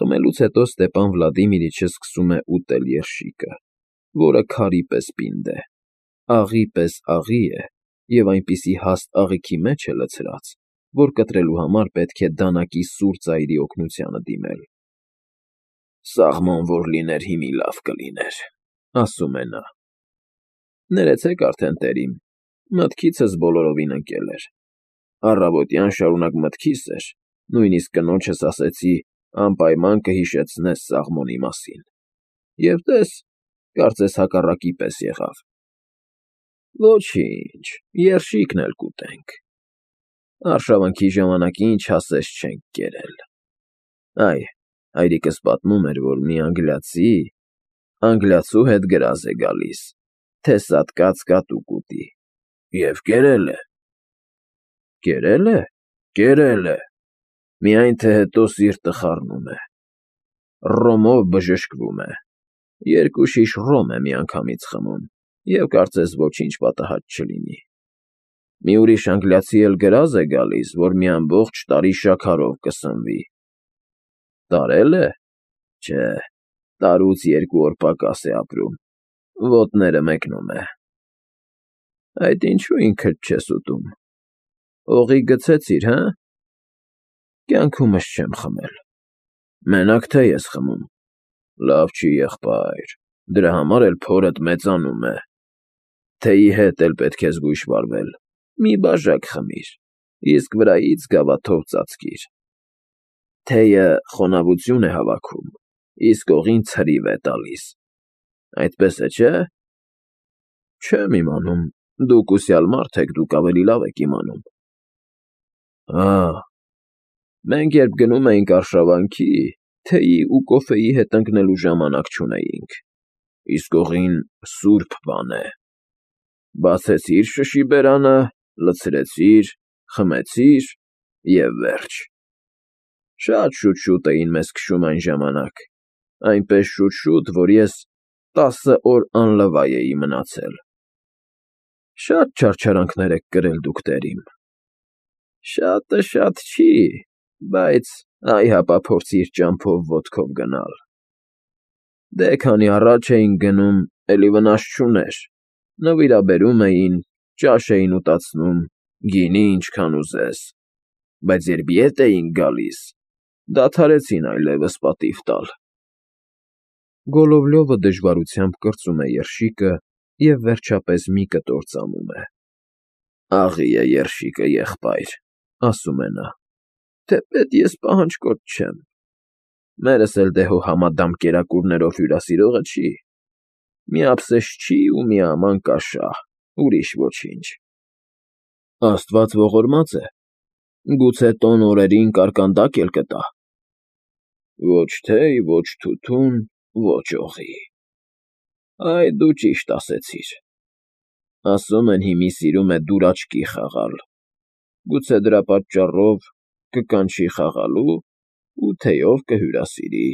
Խմելուց հետո Ստեպան Վլադիմիրիչը սկսում է ուտել երշիկը, որը քարի պես պինդ է, աղի պես աղի է և այնպիսի հաստ աղիքի մեջ է լցրած, որ կտրելու համար պետք է դանակի սուր ծայրի օգնությանը դիմել։ «Սաղմոն որ լիներ, հիմի լավ կլիներ», ասում է նա։ Ներեցեք արդեն, տերիմ, մտքիցս բոլորովին ընկել էր։ Առավոտյան շարունակ մտքիս էր, նույնիսկ կնոջս ասեցի անպայման կհիշեցնես Սաղմոնի մասին։ Եվ տես, կարծես հակառակի պես եղավ։ Ոչինչ, երշիկն էլ կուտենք։ Արշավանքի ժամանակին չասես չենք կերել։ Այ, հայրիկս պատմում էր, որ մի անգլիացու հետ գրազ է գալիս, թե սատկած կատու կուտի։ Եվ կերել է։ Կերել է։ Կերել է։ Միայն թե հետո սիրտը խառնում է։ Ռոմով բժշկվում է։ 2 շիշ ռոմ է միանգամից խմում, և կարծես ոչինչ պատահած չլինի։ Մի ուրիշ անգլիացի էլ գրազ է գալիս, որ մի ամբողջ տարի շաքարով կսնվի։ Տարել է։ Չէ, տարուց 2 օր պակաս է ապրում, ոտները մեկնում է։ Այդ ինչու ինքդ չես ուտում։ Օղի գցեցի՞ր, հը։ Կյանքումս չեմ խմել։ Մենակ թե ես խմում։ Լավ չի, եղբայր, դրա համար էլ փորդ մեծանում է։ Թեյի հետ էլ պետք է զգույշ վարվել։ Մի բաժակ խմիր, իսկ վրայից գավաթով ծածկիր։ Թեյը խոնավություն է հավաքում, իսկ օղին ցրիվ է տալիս։ Այդպես է, չէ՞։ Չեմ իմանում, դուք ուսյալ մարդ եք, դուք ավելի լավ եք իմանում։ Մենք երբ գնում էինք արշավանքի, թեյի ու կոֆեի հետ ընկնելու ժամանակ չունեինք, իսկ օղին սուրբ բան է։ Բացեցիր շշի բերանը, լցրեցիր, խմեցիր և վերջ։ Շատ շուտ էին մեզ քշում այն ժամանակ, այնպես շուտ, որ ես 10 օր անլվայ էի մնացել։ Շատ չարչարանքներ եք կրել դուք, տերիմ։ Շատը շատ չի, բայց այ հապա փորձիր ճամփով ոտքով գնալ։ Դե քանի առաջ էինք գնում, էլի վնաս չուներ, նվիրաբերում էին, ճաշ էին ուտացնում, գինի ինչքան ուզես, բայց երբ ետ էինք գալիս, դադարեցին այլևս պատիվ տալ։ Գոլովլյովը դժվարությամբ կրծում է երշիկը և վերջապես մի կտոր ծամում է։ Աղի է երշիկը, եղբայր, ասում է նա, թեպետ ես պահանջկոտ չեմ։ Մերս էլ դե հո համադամ կերակուրներով հյուրասիրողը չի։ Մի ափսեշ չի ու մի աման կաշահ, ուրիշ ոչինչ։ Աստված ողորմած է, գուցե տոն օրերին կարկանդակ էլ կտա։ Ոչ թեյ, ոչ թութուն, ոչ օղի։ Այ դու ճիշտ ասեցիր։ Ասում են հիմի սիրում է դուրաչկի խաղալ, գուցե դրա պատճառով կկանչի խաղալու ու թեյով կհյուրասիրի։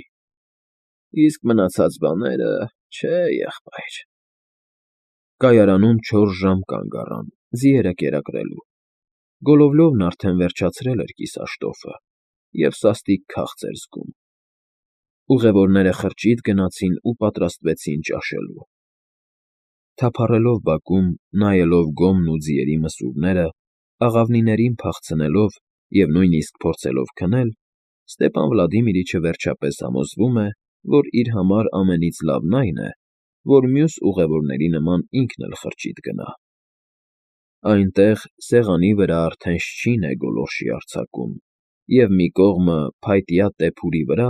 Իսկ մնացած բաները, չէ, եղբայր։ Կայարանում 4 ժամ կանգ առան, ձիերը կերակրելու։ Գոլովլյովն արդեն վերջացրել էր կիսաշտոֆը և սաստիկ քաղց էր զգում։ Ուղևորները խրճիթ գնացին ու պատրաստվեցին ճաշելու։ Թափառելով բակում, նայելով գոմն ու ձիերի մսուրները, աղավնիներին փախցնելով և նույնիսկ փորձելով քնել, Ստեպան Վլադիմիրիչը վերջապես համոզվում է, որ իր համար ամենից լավն այն է, որ մյուս ուղևորների նման ինքն էլ խրճիթ գնա։ Այնտեղ, սեղանի վրա արդեն շչին է գոլորշի արձակում, և մի կողմը փայտյա տեփուրի վրա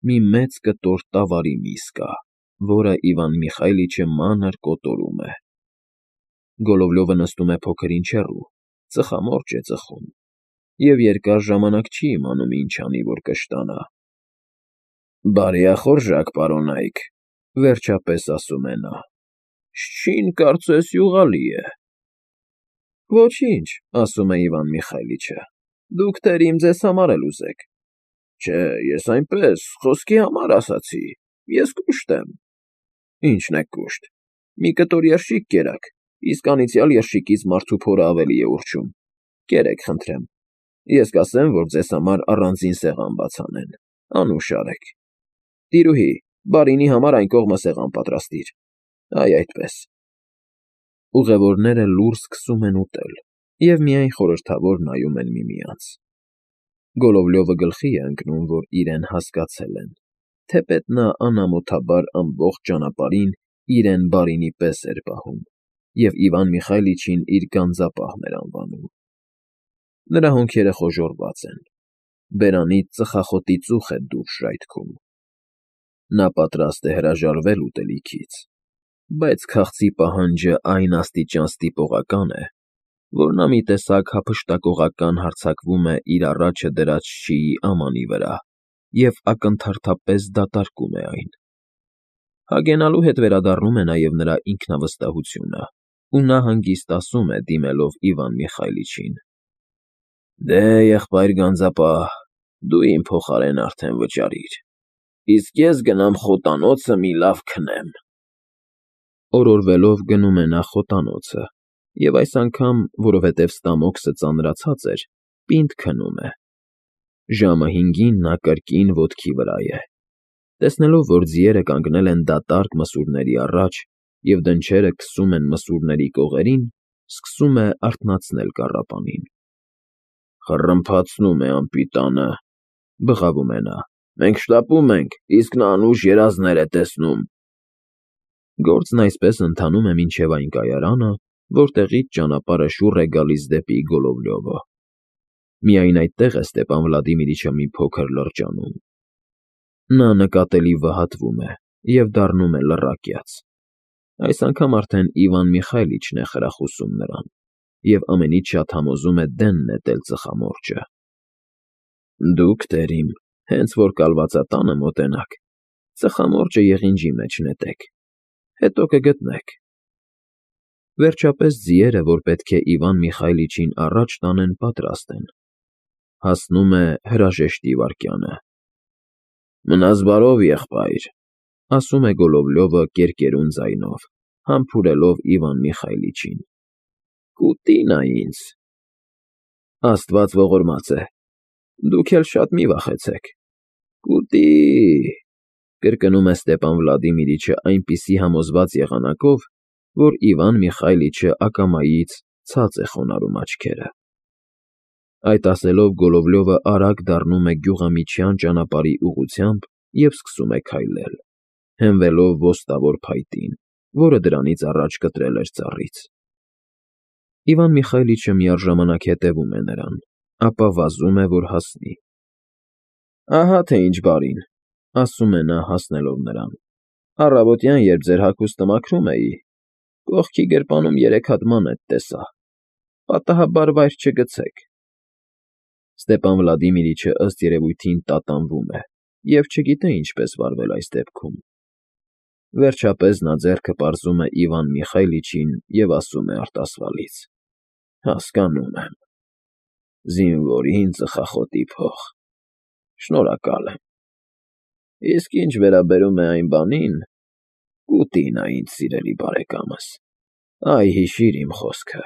մի մեծ կտոր տավարի միս կա, որը Իվան Միխայիլիչը մանր կոտորում է։ Գոլովլյովը նստում է փոքր ինչ հեռու, ծխամորճ է ծխում և երկար ժամանակ չի իմանում ինչ անի, որ կշտանա։ Բարեախորժակ, պարոնայք, վերջապես ասում է նա, շչին կարծես յուղալի է։ Ոչինչ, ասում է Իվան Միխայիլիչը, դուք տերիմ ձեզ համար էլ ուզեք։ Չէ, ես այնպես, խոսքի համար ասացի, ես կուշտ եմ։ Ինչն եք կուշտ։ Մի կտոր երշիկ կերաք, իսկ անիծյալ երշիկից մարդու փորը ավելի է ուռչում։ Կերեք, խնդրեմ։ Ես կասեմ, որ ձեզ համար առանձին սեղան բաց անեն, Անուշ արեք։ Տիրուհի, բարինի համար այն կողմը սեղան պատրաստիր։ Այ այդպես։ Ուղևորները լուռ սկսում են ուտել և միայն խորհրդավոր նայում են միմյանց։ Գոլովլյովը գլխի է ընկնում, որ իրեն հասկացել են, թեպետ նա անամոթաբար ամբողջ ճանապարհին իրեն բարինի պես էր պահում և Իվան Միխայլիչին իր գանձապահն էր անվանում։ Նրա հոնքերը խոժոռված են, բերանից ծխախոտի ծուխ է դուրս ժայթքում։ Նա պատրաստ է հրաժարվել ուտելիքից, բայց քաղցի պահանջը այն աստիճան ստիպողական է, որ նա մի տեսակ հափշտակողական հարձակվում է իր առաջը դրած շիի ամանի վրա և ակնթարթապես դատարկում է այն։ Հագենալու հետ վերադառնում է նաև նրա ինքնավստահությունը, ու նա հանգիստ ասում է, դիմելով Իվան Միխայլիչին. «Դե, եղբայր գանձապահ, դու իմ փոխարեն արդեն վճարիր, իսկ ես գնամ խոտանոցը մի լավ քնեմ»։ Օրորվելով գնում է նա խոտանոցը և այս անգամ, որովհետև ստամոքսը ծանրացած էր, պինդ քնում է։ Ժամը 5-ին նա կրկին ոտքի վրա է։ Տեսնելով, որ ձիերը կանգնել են դատարկ մսուրների առաջ և դնչերը քսում են մսուրների կողերին, սկսում է արթնացնել կառապանին։ «Խռմփացնում է անպիտանը», բղավում է նա։ «Մենք շտապում ենք, իսկ նա անուշ երազներ է տեսնում»։ Գործն այսպես ընթանում է մինչև այն կայարանը, որտեղից ճանապարհը շուռ է գալիս դեպի Գոլովլյովը։ Միայն այդտեղ է Ստեպան Վլադիմիրիչը մի փոքր լրջանում։ Նա նկատելի վհատվում է և դառնում է լռակյաց։ Այս անգամ արդեն Իվան Միխայլիչն է խրախուսում նրան և ամենից շատ համոզում է դեն նետել ծխամորճը։ «Դուք, տերիմ, հենց որ կալվածատանը մոտենաք, ծխամորճը եղինջի մեջ նետեք, հետո կգտնեք»։ Վերջապես ձիերը, որ պետք է Իվան Միխայլիչին առաջ տանեն, պատրաստ են։ Հասնում է հրաժեշտի վայրկյանը։ «Մնաս բարով, եղբայր», ասում է Գոլովլյովը կերկերուն ձայնով, համբուրելով Իվան Միխայլիչին։ «Կուտի նա ինձ»։ «Աստված ողորմած է, դուք էլ շատ մի վախեցեք»։ «Կուտի», կրկնում է Ստեպան Վլադիմիրիչը այնպիսի համոզված եղանակով, որ Իվան Միխայլիչը ակամայից ցած է խոնարհում աչքերը։ Այդ ասելով Գոլովլյովը արագ դառնում է գյուղամիջյան ճանապարհի ուղղությամբ և սկսում է քայլել, հենվելով ոստավոր փայտին, որը դրանից առաջ կտրել էր ծառից։ Իվան Միխայլիչը միաժամանակ հետևում է նրան, ապա վազում է, որ հասնի։ «Ահա թե ինչ բարին», ասում է նա, հասնելով նրան։ «Առավոտյան, երբ ձեր հագուստը մաքրում էի, կողքի գրպանում 3 հատ մանետ տեսա։ Պատահաբար վայր չգցեք»։ Ստեպան Վլադիմիրիչը ըստ երևույթին տատանվում է և չգիտե ինչպես վարվել այս դեպքում։ Վերջապես նա ձեռքը պարզում է Իվան Միխայլիչին և ասում է արտասվալից. «Հասկանում եմ, զինվորին ծխախոտի փող, շնորհակալ եմ։ Իսկ ինչ վերաբերում է այն բանին, կուտի նա ինձ, սիրելի բարեկամս, այ հիշիր իմ խոսքը,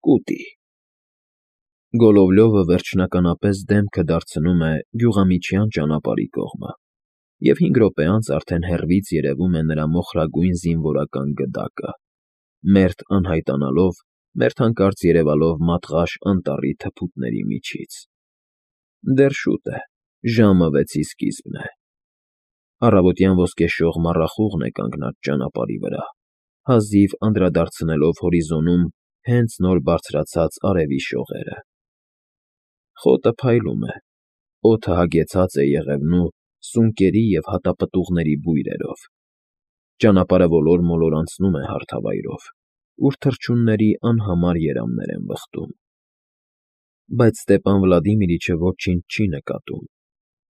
կուտի»։ Գոլովլյովը վերջնականապես դեմքը դարձնում է գյուղամիջյան ճանապարհի կողմը, և 5 րոպե անց արդեն հեռվից երևում է նրա մոխրագույն զինվորական գդակը, մերթ անհայտանալով, մերթ հանկարծ երևալով մատղաշ անտառի թփուտների միջից։ Դեռ շուտ է, ժամը 6-ի սկիզբն է։ Առավոտյան ոսկեշող մառախուղն է կանգնած ճանապարհի վրա, հազիվ անդրադարձնելով հորիզոնում հենց նոր բարձրացած արևի շողերը։ Խոտը փայլում է, օդը հագեցած է եղևնու, սունկերի և հատապտուղների բույրերով։ Ճանապարհը ոլոր-մոլոր անցնում է հարթավայրով, ուր թռչունների անհամար երամներ են վխտում։ Բայց Ստեպան Վլադիմիրիչը ոչինչ չի նկատում։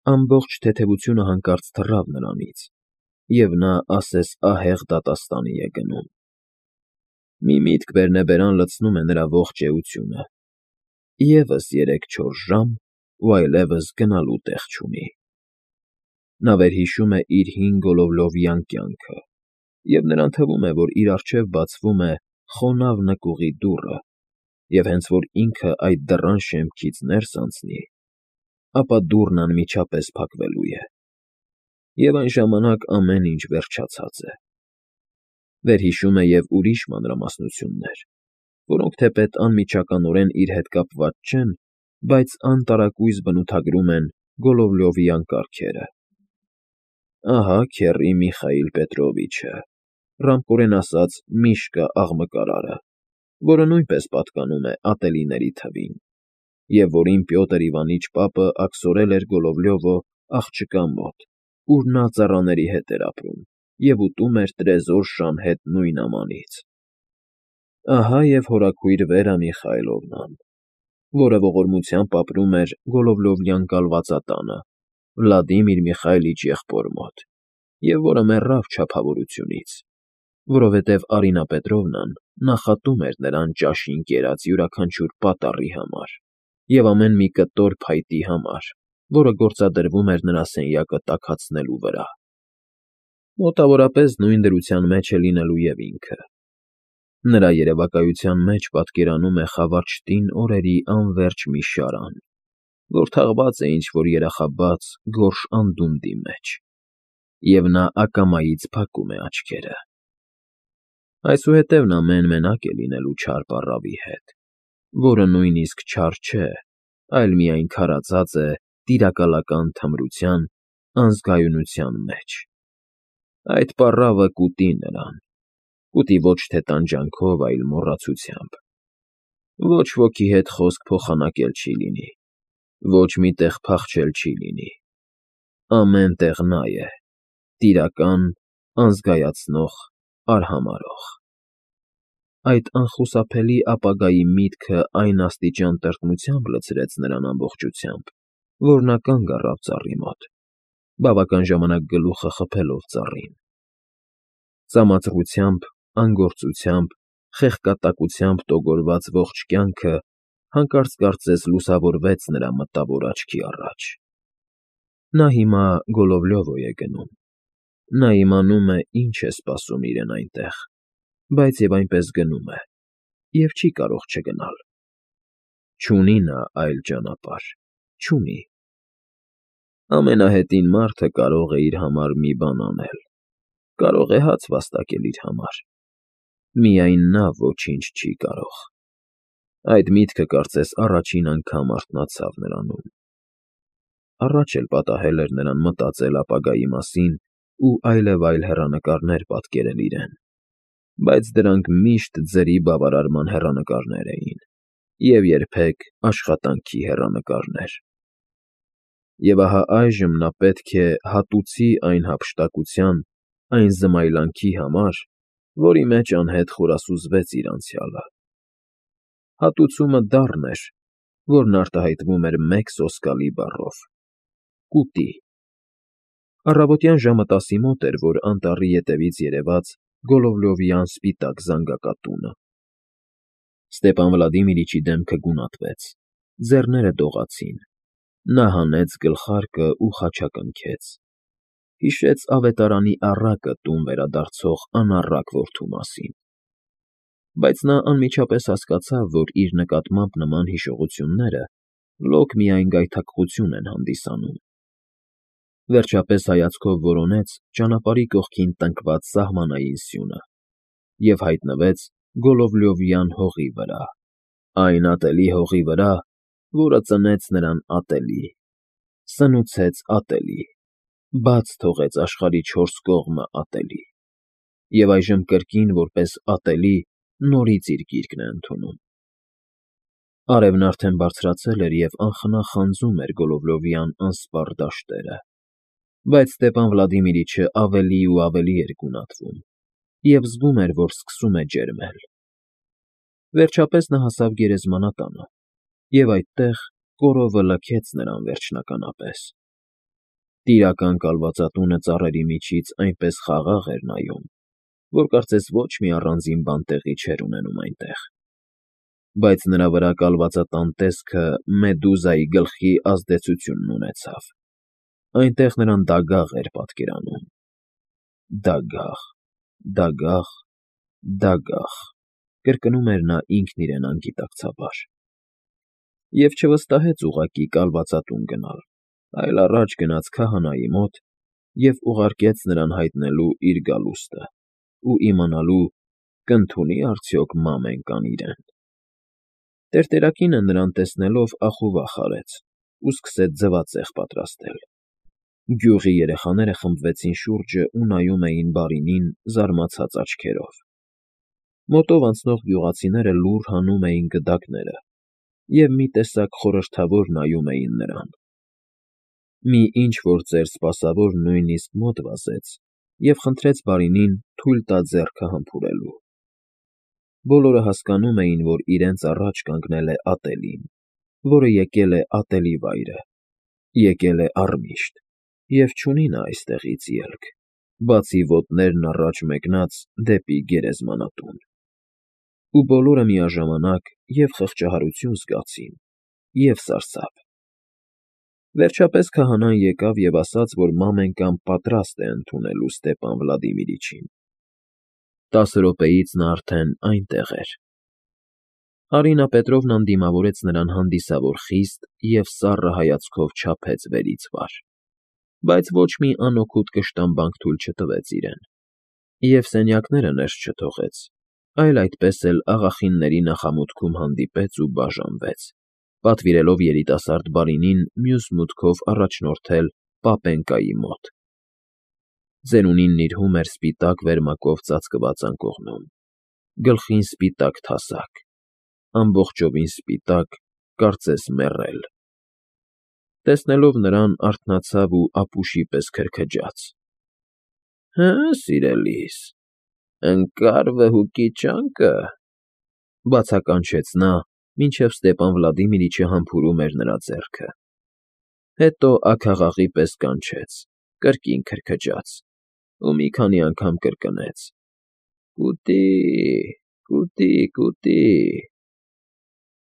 Ամբողջ թեթևությունը հանկարծ թռավ նրանից, և նա ասես ահեղ դատաստանի է գնում։ Մի միտք բերնեբերան լցնում է նրա ողջ էությունը։ Եվս 3-4 ժամ, ու այլևս գնալու տեղ չունի։ Նա վերհիշում է իր հին գոլովլովյան կյանքը, և նրան թվում է, որ իր առջև բացվում է խոնավ նկուղի դուռը, և հենց որ ինքը այդ դռան շեմքից ներս անցնի, ապա դուռն անմիջապես փակվելու է։ Եվ այն ժամանակ ամեն ինչ վերջացած է։ Վերհիշում է և ուրիշ մանրամասնություններ, որոնք թեպետ անմիջականորեն իր հետ կապված չեն, բայց անտարակույս բնութագրում են Գոլովլյովյան կառքերը։ Ահա քեռի Միխայիլ Պետրովիչը, ռամկորեն ասած Միշկա աղմկարարը, որը նույնպես պատկանում է ատելիների թվին, և որին Պյոտր Իվանիչ պապը աքսորել էր Գոլովլյովը աղջկա մոտ, ուր նա ծառաների հետ էր ապրում և ուտում էր տրեզոր շան հետ նույն ամանից։ Ահա և հորաքույր Վերա Միխայիլովնան, որը ողորմությամբ ապրում էր Գոլովլյովյան կալվածատանը Վլադիմիր Միխայիլիչ եղբոր մոտ, և որը մեռավ չափավորությունից, որովհետև Արինա Պետրովնան նախատում էր նրան ճաշին կերած յուրաքանչյուր պատառի համար և ամեն մի կտոր փայտի համար, որը գործադրվում էր նրա սենյակը տաքացնելու վրա։ Մոտավորապես նույն դրության մեջ է լինելու և ինքը։ Նրա երևակայության մեջ պատկերանում է խավարճտին օրերի անվերջ մի շարան, որ թաղված է ինչ֊որ երախաբաց, գորշ անդունդի մեջ, և նա ակամայից փակում է աչքերը։ Այսուհետև նա մեն֊մենակ է լինելու չար պառավի հետ, որը նույնիսկ չար չէ, այլ միայն քարացած է տիրակալական թմրության, անզգայունության մեջ։ Այդ պառավը կուտի նրան, կուտի ոչ թե տանջանքով, այլ մոռացությամբ։ Ոչ ոքի հետ խոսք փոխանակել չի լինի, ոչ մի տեղ փախչել չի լինի։ Ամեն տեղ նա է, տիրական, անզգայացնող, արհամարհող։ Այդ անխուսափելի ապագայի միտքը այն աստիճան տրտմությամբ լցրեց նրան ամբողջությամբ, որ նա կանգ առավ ծառի մոտ, բավական ժամանակ գլուխը խփելով ծառին։ Ծամածղությամբ, անգործությամբ, խեղկատակությամբ տոգորված ողջ կյանքը հանկարծ կարծես լուսավորվեց նրա մտավոր աչքի առաջ։ Նա հիմա Գոլովլյովո է գնում։ Նա իմանում է, ինչ է սպասում իրեն այնտեղ, բայց և այնպես գնում է, և չի կարող չգնալ։ Չունի նա այլ ճանապարհ, չունի։ Ամենահետին մարդը կարող է իր համար մի բան անել, կարող է հաց վաստակել իր համար, միայն նա ոչինչ չի կարող։ Այդ միտքը կարծես առաջին անգամ արթնացավ նրանում։ Առաջ էլ պատահել էր նրան մտածել ապագայի մասին ու այլևայլ հեռանկարներ պատկերել իրեն, բայց դրանք միշտ ձրի բավարարման հեռանկարներ էին և երբեք աշխատանքի հեռանկարներ։ Եվ ահա այժմ նա պետք է հատուցի այն հափշտակության, այն զմայլանքի համար, որի մեջ անհետ խորասուզվեց իր անցյալը։ Հատուցումը դառն էր, որն արտահայտվում էր մեկ սոսկալի բառով՝ կուտի։ Առավոտյան ժամը 10-ի մոտ էր, որ անտառի ետևից երևաց Գոլովլյովյան սպիտակ զանգակատունը։ Ստեպան Վլադիմիրիչի դեմքը գունատվեց, ձեռները դողացին, նա հանեց գլխարկը ու խաչակնքեց, հիշեց ավետարանի առակը տուն վերադարձող անառակ որդու մասին։ Բայց նա անմիջապես հասկացավ, որ իր նկատմամբ նման հիշողությունները լոկ միայն գայթակղություն են հանդիսանում։ Վերջապես հայացքով որոնեց ճանապարհի կողքին տնկված սահմանային սյունը և հայտնվեց Գոլովլյովյան հողի վրա, այն ատելի հողի վրա, որը ծնեց նրան ատելի, սնուցեց ատելի, բաց թողեց աշխարհի չորս կողմը ատելի, և այժմ կրկին որպես ատելի նորից իր գիրկն է ընդունում։ Արևն արդեն բարձրացել էր և անխնա խանձում էր Գոլովլյովյան անսպառ դաշտերը, բայց Ստեպան Վլադիմիրիչը ավելի ու ավելի էր գունատվում և զգում էր, որ սկսում է ջերմել։ Վերջապես նա հասավ գերեզմանատանը, և այդտեղ կորովը լքեց նրան վերջնականապես։ Տիրական կալվածատունը ծառերի միջից այնպես խաղաղ էր նայում, որ կարծես ոչ մի առանձին բան տեղի չէր ունենում այնտեղ։ Բայց նրա վրա կալվածատան տեսքը Մեդուզայի գլխի ազդեցությունն ունեցավ։ Այնտեղ նրան դագաղ էր պատկերանում։ Դագաղ, դագաղ, դագաղ, կրկնում էր նա ինքն իրեն անգիտակցաբար։ Եվ չվստահեց ուղղակի կալվածատուն գնալ, այլ առաջ գնաց քահանայի մոտ և ուղարկեց նրան հայտնելու իր գալուստը ու իմանալու, կընդունի՞ արդյոք մամենկան իրեն։ Տերտերակինը նրան տեսնելով ախուվախ արեց ու սկսեց ձվածեղ պատրաստել։ Գյուղի երեխաները խմբվեցին շուրջը ու նայում էին բարինին զարմացած աչքերով։ Մոտով անցնող գյուղացիները լուռ հանում էին գդակները և մի տեսակ խորհրդավոր նայում էին նրան։ Մի ինչ֊որ ծեր սպասավոր նույնիսկ մոտ վազեց և խնդրեց բարինին թույլ տա ձեռքը համբուրելու։ Բոլորը հասկանում էին, որ իրենց առաջ կանգնել է ատելին, որը եկել է ատելի վայրը, եկել է առմիշտ և չունի նա այստեղից ելք, բացի ոտներն առաջ մեկնած դեպի գերեզմանատուն։ Ու բոլորը միաժամանակ և՛ խղճահարություն զգացին, և՛ սարսափ։ Վերջապես քահանան եկավ և ասաց, որ մամենկան պատրաստ է ընդունելու Ստեպան Վլադիմիրիչին։ 10 րոպեից նա արդեն այնտեղ էր։ Արինա Պետրովնան դիմավորեց նրան հանդիսավոր խիստ և սառը հայացքով չափեց վերից վար, բայց ոչ մի անօգուտ կշտամբանք թույլ չտվեց իրեն, և սենյակները ներս չթողեց, այլ այդպես էլ աղախինների նախամուտքում հանդիպեց ու բաժանվեց, պատվիրելով երիտասարդ բարինին մյուս մուտքով առաջնորդել պապենկայի մոտ։ Ծերունին նիրհում էր սպիտակ վերմակով ծածկված անկողնում, գլխին սպիտակ թասակ, ամբողջովին սպիտակ, կարծես մեռել։ Տեսնելով նրան, արթնացավ ու ապուշի պես քրքջաց. ֊ Հը՞, սիրելիս, ընկա՞ր վհուկի ճանկը,֊ բացականչեց նա, մինչև Ստեպան Վլադիմիրիչը համբուրում էր նրա ձեռքը։ Հետո աքաղաղի պես կանչեց, կրկին քրքջաց ու մի քանի անգամ կրկնեց. «Կուտի, կուտի, կուտի,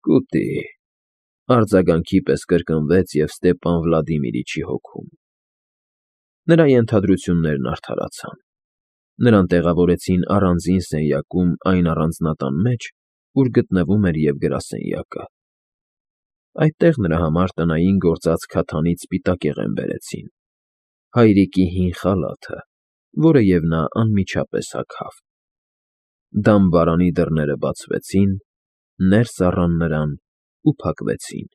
կուտի…»։ Արձագանքի պես կրկնվեց և Ստեպան Վլադիմիրիչի հոգում։ Նրա ենթադրություններն արդարացան։ Նրան տեղավորեցին առանձին սենյակում այն առանձնատան մեջ, ուր գտնվում էր և գրասենյակը։ Այդտեղ նրա համար տնային գործած քաթանից սպիտակեղեն բերեցին, հայրիկի հին խալաթը, որը և նա անմիջապես հագավ։ Դամբարանի դռները բացվեցին, ներս առան նրան ու փակվեցին։